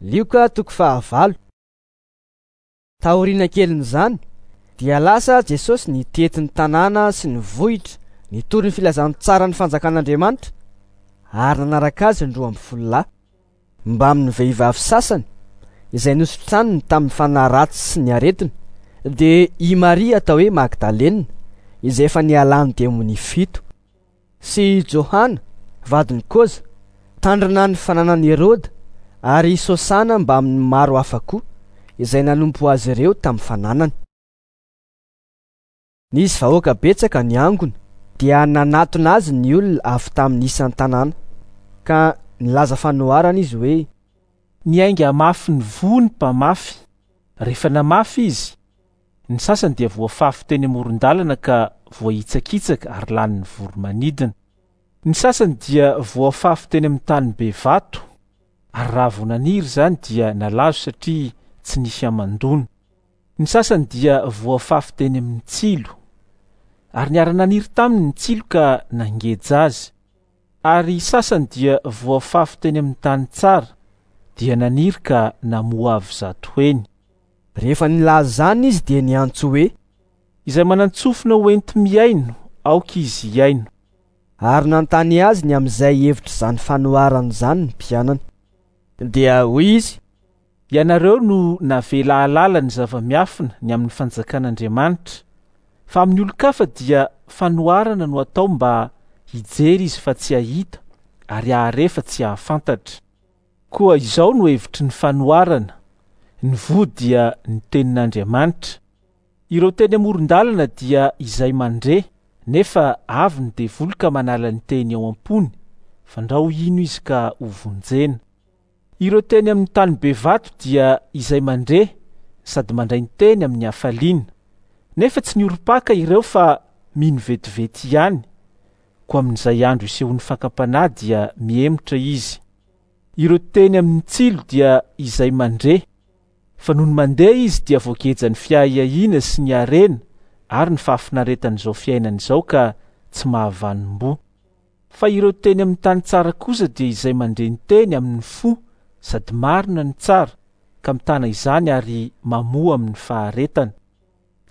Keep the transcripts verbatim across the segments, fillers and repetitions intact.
Lioka toko fahavalo. Taoriana kelin'izany dia lasa Jesosy nitety ny tanàna sy ny vohitra, nitory ny filazantsaran'ny fanjakan'Andriamanitra, ary nanaraka azy ny roa ambin'ny folo lahy, mbamin'ny vehivavy sasany izay nositraniny tamin'ny fanahy ratsy sy ny aretina, dia i Maria atao hoe Magdalena izay efa nialan'ny demonia fito, sy Johana vadin'i Koza, tandrina ny fananan'i Heroda, ary Sosana mbamin'ny maro hafa koa izay nanompo azy ireo tamin'ny fananany. Nisy vahoaka betsaka niangona, dia nanatona azy ny olona avy tamin'ny isan-tanàna, ka nilaza fanoharana izy hoe: Niainga mafy ny voa ny mpamafy. Rehefa namafy izy, ny sasany dia voafafy teny amoron-dalana ka voahitsakitsaka ary lanin'ny voro-manidina. Ny sasany dia voafafy teny amin'ny tany be vato, ary raha vao naniry izany dia nalazo satria tsy nisy hamandoana. Ny sasany dia voafafy teny amin'ny tsilo, ary niara-naniry taminy ny tsilo ka nangeja azy. Ary sasany dia voafafy teny amin'ny tany tsara, dia naniry ka namoa avo zato heny. Rehefa nilaza izany izy dia niantso hoe: Izay manan-tsofina ho enti-mihaino, aoka izy hihaino. Ary nanontany azy ny amin'izay hevitr'izany fanoharana izany ny mpianany. Dia hoy izy: Ianareo no navela hahalala ny zava-miafina ny amin'ny fanjakan'Andriamanitra, fa amin'ny olon-kafa dia fanoharana no atao mba hijery izy fa tsy hahita, ary hahare fa tsy hahafantatra. Koa izao no hevitry ny fanoharana: ny voa dia ny tenin'Andriamanitra. Ireo teny amoron-dalana dia izay mandre, nefa avy ny devoly ka manala ny teny ao am-pony, fandrao hino izy ka ho vonjena. Ireo teny amin'ny tany be vato dia izay mandre sady mandray ny teny amin'ny hafaliana, nefa tsy niorim-paka ireo fa mino vetivety ihany. Koa amin'izay andro isehoan'ny fakam-panahy dia mihemotra izy. Ireo teny amin'ny tsilo dia izay mandre, fa nony mandeha izy dia voagejan'ny fiahiahiana sy ny harena ary ny fahafinaretan'izao fiainana izao ka tsy mahavanom-boa. Fa ireo teny amin'ny tany tsara kosa dia izay mandre ny teny amin'ny fo sady marina ny tsara, ka mitana izany ary mamoa amin'ny faharetana.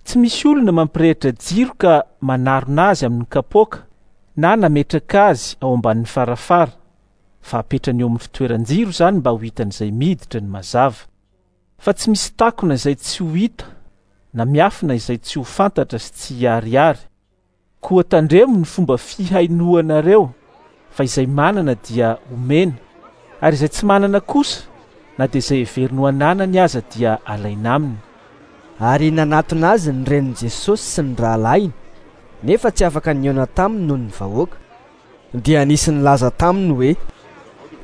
Tsy misy olona mampirehitra jiro ka manarona azy amin'ny kapoaka, na nametraka azy ao ambanin'ny farafara, fa apetrany eo amin'ny fitoeran-jiro izany mba ho hitan'izay miditra ny mazava. Fa tsy misy takona izay tsy ho hita, na miafina izay tsy ho fantatra sy tsy hiharihary. Koa tandremo ny fomba fihainoanareo, fa izay manana dia omena, ary izay tsy manana kosa, na dia izay heveriny ho ananany aza dia alaina aminy. Ary nanatona azy ny renin'i Jesosy sy ny rahalahiny, nefa tsy afaka nihaona taminy noho ny vahoaka. Dia nisy nilaza taminy hoe: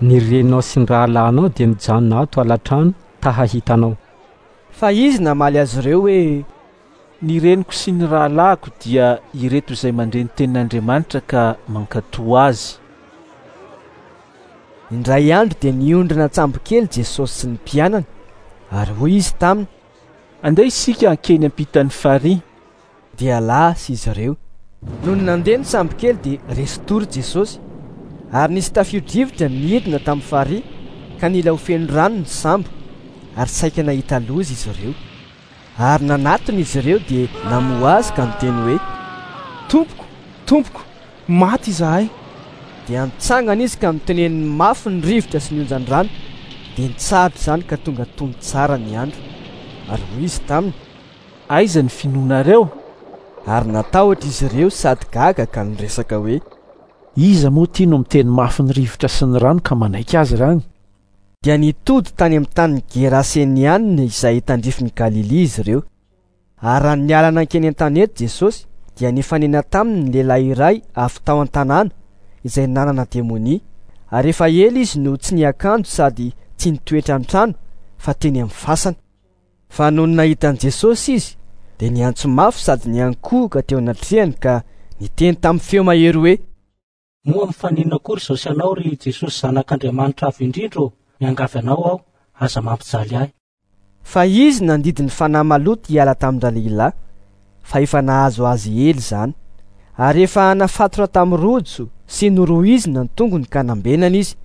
Ny reninao sy ny rahalahinao dia mijanona ato alatrano ta hahita anao. Fa izy namaly azy ireo hoe: Ny reniko sy ny rahalahiko dia ireto izay mandre ny tenin'Andriamanitra ka mankatò azy. Indray andro dia niondrina an-tsambokely Jesosy sy ny mpianany, ary hoy izy taminy: Andeha isika hankeny ampitan'ny farihy. Dia lasa izy ireo. Nony nandeha ny sambokely dia resin-tory Jesosy, ary nisy tafio-drivotra nidina tamin'ny farihy ka nila ho feno rano ny sambo, ary saika nahita loza izy ireo. Ary nanatona izy ireo dia namoha azy ka niteny hoe: Tompoko, tompoko, maty izahay. Dia nitsangana izy ka niteneniny mafy ny rivotra sy ny onjan-drano, dia nitsahatra izany ka tonga tony tsara ny andro. Ary hoy izy taminy: Aiza ny finoanareo? Ary natahotra izy ireo sady gaga ka niresaka hoe: Iza moa ty no miteny mafy ny rivotra sy ny rano ka manaiky azy irany? Dia nitody tany amin'ny tanin'ny Gerasenianina izay tandrifin'i Galilia izy ireo. Ary raha niala nankeny an-tanety Jesosy, dia nifanena taminy ny lehilahy iray avy tao an-tanàna izay nanana demonia, ary efa ela izy no tsy niakanjo sady tsy nitoetra an-trano fa teny amin'ny fasana. Fa nony nahita an'i Jesosy izy, dia niantso mafy sady niankohoka teo anatrehany ka niteny tamin'ny feo mahery hoe: Moa mifaninona akory izao sy anao, ry Jesosy Zanak'Andriamanitra avo indrindra ô? Miangavy anao aho, aza mampijaly ahy. Fa izy nandidy ny fanahy maloto hiala tamin-dralehilahy, fa efa nahazo azy ela izany. Ary efa nafatotra tamin'ny rojo sy norohizina ny tongony ka nambenana izy,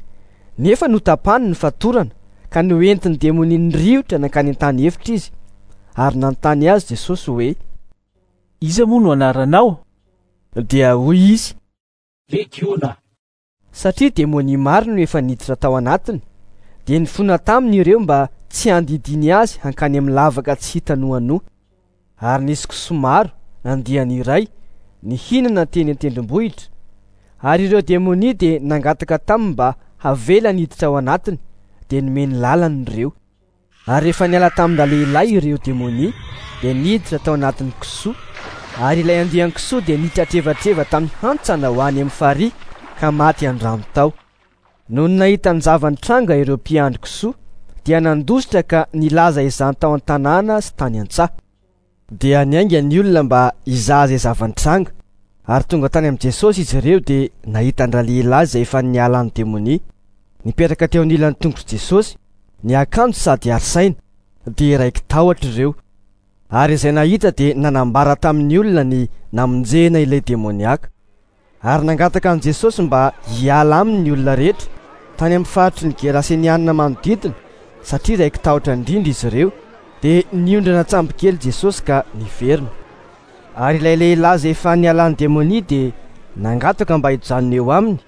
nefa notapany ny fatorana ka noentin'ny demonia niriotra nankany an-tany efitra izy. Ary nanontany azy Jesosy hoe: Iza moa no anaranao? Dia hoy izy: Legiona. Satria demonia maro no efa niditra tao anatiny, dia nifona taminy ireo mba tsy handidiany azy hankany amin'ny lavaka tsy hita noanoa. Ary nisy kisoa maro nandiany iray nihinana teny an-tendrombohitra. Ary ireo demonia dia nangataka taminy mba havelany hiditra ao anatiny, dia nomeny lalana ireo. Ary rehefa niala tamin-dralehilahy ireo demonia, dia niditra tao anatin'ny kisoa. Ary ilay andian'ny kisoa dia nitratrevatreva tamin'ny hantsana ho any amin'ny farihy ka maty an-drano tao. Nony nahita ny zava-nitranga ireo mpiandry kisoa, dia nandositra ka nilaza izany tao an-tanàna sy tany an-tsaha. Dia niainga ny olona mba hizaha izay zava-nitranga. Ary tonga tany amin'i Jesosy izy ireo dia nahita an-dralehilahy izay efa nialan'ny demonia. Nipetraka teo anilan'ny tongotr'i Jesosy, niakanjo sady ary saina, dia raiki-tahotra ireo. Ary izay nahita dia nanambara tamin'ny olona ny namonjena ilay demoniaka. Ary nangataka an'i Jesosy mba hiala aminy ny olona rehetra tany amin'ny faritry ny Gerasenianina manodidina, satria raiki-tahotra indrindra izy ireo. Dia niondrana an-tsambokely Jesosy ka niverina. Ary ilay lehilahy izay efa nialan'ny demonia dia nangataka mba hijanona eo aminy,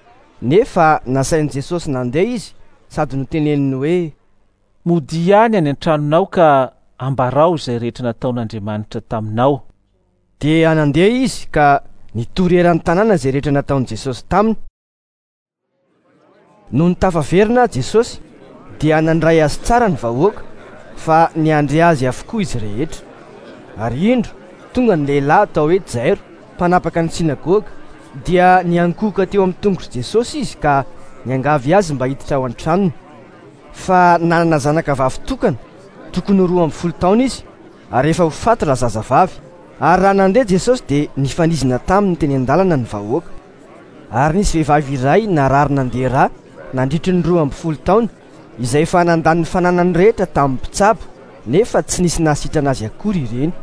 nefa nasain'i Jesosy nandeha izy sady noteneniny hoe: Modia ihany any an-tranonao ka ambarao izay rehetra nataon'Andriamanitra taminao. Dia nandeha izy ka nitory eran'ny tanàna izay rehetra nataon'i Jesosy taminy. Nony tafaverina Jesosy dia nandray azy tsara ny vahoaka, fa niandry azy avokoa izy rehetra. Ary indro tonga ny lehilahy atao hoe Jairo, mpanapaka ny sinagoga, dia niankohoka teo amin'ny tongotr'i Jesosy izy ka niangavy azy mba hiditra ao an-tranony. Fa nanana zanaka vavy tokana, tokony ho roa amby folo taona izy, ary efa ho faty razazavavy. Ary raha nandeha Jesosy dia nifanizina taminy teny an-dalana ny vahoaka. Ary nisy vehivavy iray narary nandeha rà nandritry ny roa amby folo taona, izay efa nandany ny fananany rehetra tamin'ny mpitsabo, nefa tsy nisy nahasitrana azy akory ireny.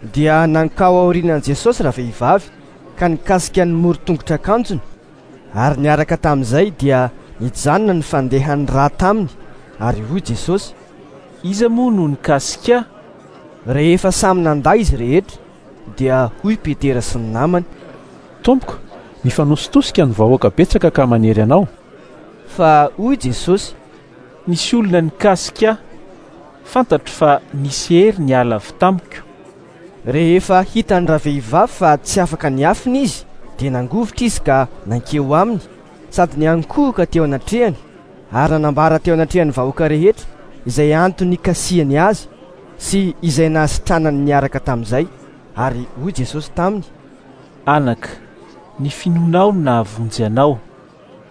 Dia nankao aorianan'i Jesosy ravehivavy ka nikasika ny moron-tongotr'akanjony. Ary niaraka tamin'izay dia nijanona ny fandehan'ny rà taminy. Ary hoy Jesosy: Iza moa no nikasika? Rehefa samy nandà izy rehetra, dia hoy Petera sy ny namany: Tompoko, mifanositosika ny vahoaka betsaka ka manery anao. Fa hoy Jesosy: Nisy olona nikasika, fantatro fa nisy hery niala avy tamiko. Rehefa hitan'ny ravehivavy fa tsy afaka niafina izy, dia nangovitra izy ka nankeo aminy sady niankohoka teo anatrehany, ary nanambara teo anatrehan'ny vahoaka rehetra izay antony nikasihany azy sy izay nahasitranany niaraka tamin'izay. Ary hoy Jesosy taminy: Anaka, ny finoanao no nahavonjy anao,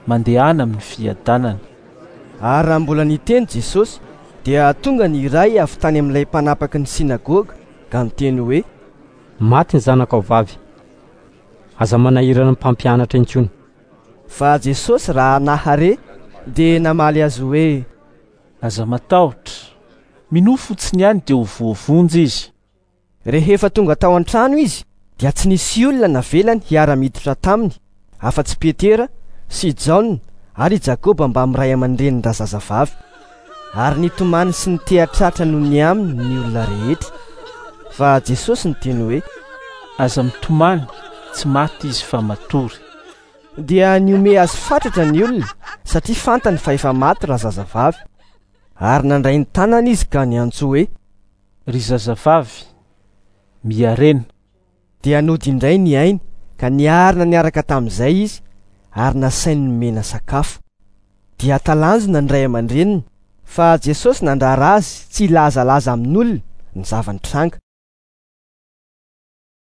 mandehana amin'ny fiadanana. Ary raha mbola niteny Jesosy, dia tonga ny iray avy tany amin'ilay mpanapaky ny sinagoga ka niteny hoe: Maty ny zanakao vavy, aza manahirana ny mpampianatra intsony. Fa Jesosy raha nahare dia namaly azy hoe: Aza matahotra, minoa fotsiny ihany dia ho voavonjy izy. Rehefa tonga tao an-trano izy dia tsy nisy olona navelany hiara-miditra taminy afa-tsy Petera sy Jaona ary Jakoba mbamin'ny ray aman-drenin-drazazavavy. Ary nitomany sy nitehatratra noho ny aminy ny olona rehetra. Fa Jesosy niteny hoe: Aza mitomany, tsy maty izy fa matory. Dia nihomehy azy fatratra ny olona satria fantany fa efa maty razazavavy. Ary nandray ny tanany izy ka niantso hoe: Ry zazavavy, miarena. Dia nody indray ny ainy ka niarina niaraka tamin'izay izy, ary nasainy nomena sakafo. Dia talanjona ny ray aman-dreniny, fa Jesosy nandrara azy tsy hilazalaza amin'olona ny zava-nitranga.